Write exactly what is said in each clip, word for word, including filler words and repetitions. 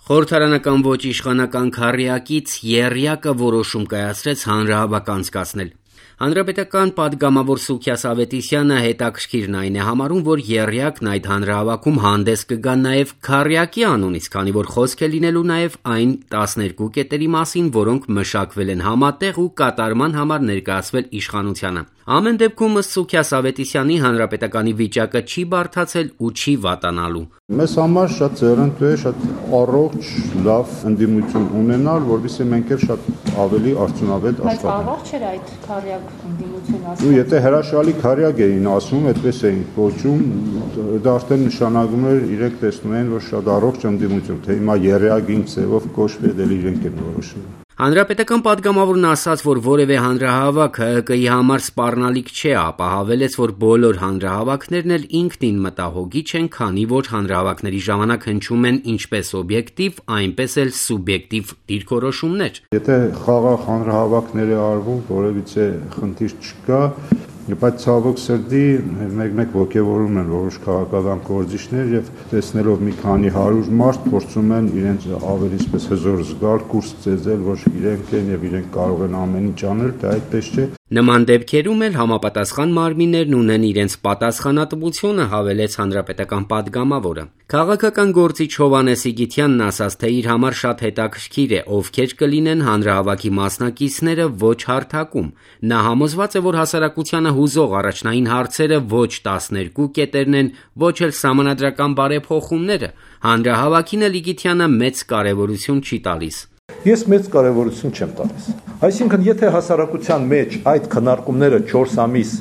Խորհրդարանական ոչ իշխանական քառյակից եռյակը որոշում կայացրեց հանրահավաք անցկացնել։ Հանրապետական պատգամավոր Սուքիաս Ավետիսյանը հետաքրքիրն այն է համարում, որ եռյակն այդ հանրահավաքում հանդես կգա նաև քառյակի անունից, քանի որ խոսք է լինելու նաև այն տասներկու կետերի մասին, որոնք մշակվել են համատեղ ու կատարման համար ներկայացվել իշխանությանը։ Ամեն դեպքում, ըստ Սուքիաս Ավետիսյանի, հանրապետականի վիճակը չի բարդացել ու չի վատանալու։ Մեզ համար շատ ձեռնտու է, շատ առողջ, լավ ընդդիմություն ունենալ, որովհետեւ մենք էլ շատ ավելի արդյունավետ աշխատենք։ Բայց առողջ էր այդ քառյակ ընդդիմություն ասում։ Ու եթե հրաշալի քառյակ էին ասում, այդպես էին կոչում, դա արդեն նշանակում էր իրենք տեսնում են, որ շատ առողջ ընդդիմություն, թե հիմա եռյակ ինչ ձևով կոչվի, դա իրենք են որոշում։ Հանրապետական պատգամավորն ասաց, որ որևէ հանրահավաք ՀՀԿ-ի համար սպառնալիք չէ, ապա հավելեց, որ բոլոր հանրահավաքներն էլ ինքնին մտահոգիչ են, քանի որ հանրահավաքների ժամանակ հնչում են ինչպես օբյեկտիվ, այնպես էլ սուբյեկտիվ դիրքորոշումներ։ Եթե խաղաղ հանրահավաքներ է արվում, որևիցե խնդիր չկա, բայց ցավոք սրտի մեկ-մեկ ոգևորում են որոշ քաղաքական գործիչներ եւ տեսնելով մի քանի հարյուր մարդ փորձում են իրենց ավելի այսպես հզոր զգալ, կուրս ծեծել, որ իրենք են եւ իրենք կարող են ամեն ինչ անել, դա այդպես չէ։ Նման դեպքերում էլ համապատասխան մարմիններն ունեն իրենց պատասխանատվությունը, հավելեց հանրապետական պատգամավորը։ Քաղաքական գործիչ Հովհաննես Իգիթյանն ասաց, թե իր համար շատ հետաքրքիր է, ովքեր կլինեն հանրահավաքի մասնակիցները ոչ հարթակում։ Նա համոզված է, որ հասարակությանը հուզող առաջնային հարցերը ոչ տասներկու կետերն են, ոչ էլ սահմանադրական բարեփոխումները։ Հանրահավաքին էլ Իգիթյանը մեծ կարևորություն չի տալիս։ Ես մեծ կարևորություն չեմ տալիս։ Այսինքն, եթե հասարակության մեջ այդ քննարկումները չորս ամիս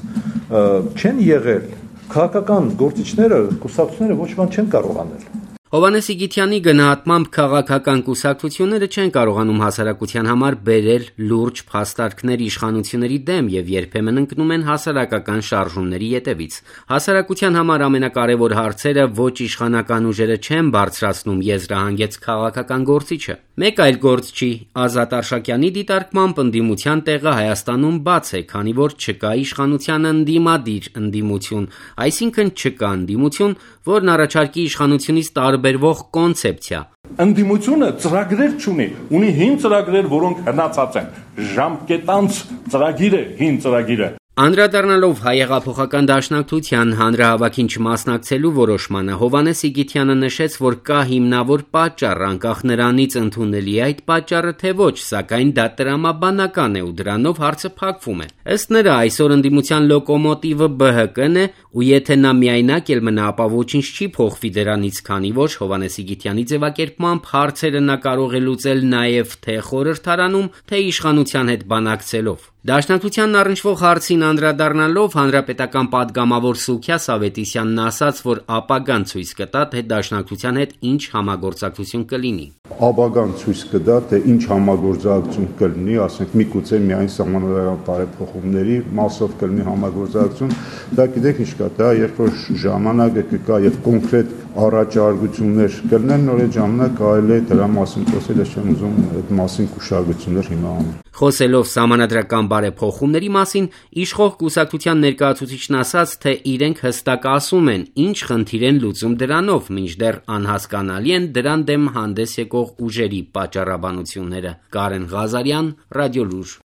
չեն եղել, քաղաքական գործիչները, կուսակցությունները ոչ բան չեն կարող անել։ Հովհաննես Իգիթյանի գնահատմամբ քաղաքական կուսակցությունները չեն կարողանում հասարակության համար բերել լուրջ փաստարկներ իշխանությունների դեմ եւ երբեմն ընկնում են հասարակական շարժումների ետևից։ Հասարակության համար ամենակարևոր հարցերը ոչ իշխանական ուժերը չեն բարձրացնում, եզրահանգեց քաղաքական գործիչը։ Մեկ այլ գործչի Ազատ Արշակյանի դիտարկմամբ ընդդիմության տեղը Հայաստանում բաց է, քանի որ չկա իշխանության ընդդիմադիր ընդդիմություն, այսինքն չկա ընդդիմություն, որն առաջարկի իշխանությունից տարբերվող կոնցեպցիա։ Ընդդիմությունը ծրագրեր չունի, ունի հին ծրագրեր, որոնք հնացած են, ժամկետանց ծրագիր է, հին ծրագիրը։ Անդրադառնալով Հայեղափոխական դաշնակցության հանրահավաքին չմասնակցելու որոշմանը, Հովհաննես Իգիթյանը նշեց, որ կա հիմնավոր պատճառ, անկախ նրանից ընդունելի է այդ պատճառը թե ոչ, սակայն դա տրամաբանական է ու դրանով հարցը փակվում է։ Ըստ նրա, այսօր ընդդիմության լոկոմոտիվը Բ Հ Կ-ն է, ու եթե նա միայնակ էլ մնա, ապա ոչինչ չի փոխվի դրանից, քանի որ Հովհաննես Իգիթյանի ձևակերպմամբ հարցերը նա կարող է լուծել նաև թե խորհրդարանում, թե իշխանության հետ բանակցելով։ Դաշնակցությանն առնչվող հարցին անդրադառնալով հանրապետական պատգամավոր Սուքիաս Ավետիսյանն ասաց, որ ապագան ցույց կտա, թե դաշնակցության հետ ինչ համագործակցություն կլինի։ Ապագան ցույց կտա, թե ինչ համագործակցություն կլինի, ասենք միգուցե միայն սահմանադրական բարեփոխումների մասով կլինի համագործակցություն, դա գիտեք ինչ կա, դա երբ որ ժամանակը կգա եւ կոնկրետ առաջարկություններ կլինեն, նոր այդ ժամանակ կարելի է դրա մասին խոսել, ես չեմ ուզում այդ մասին կուշակություններ հիմա անել։ Խոսելով սահմանադրական բարեփոխումների մասին, իշխող կուսակցության ներկայացուցիչն ասաց, թե իրենք հստակ ասում են, ինչ խնդիր են լուծում դրանով, մինչդեռ անհասկանալի են դրան դեմ հանդես եկող ուժերի պատճառաբանությունները։ Կարեն Ղազարյան, Ռադիոլուր։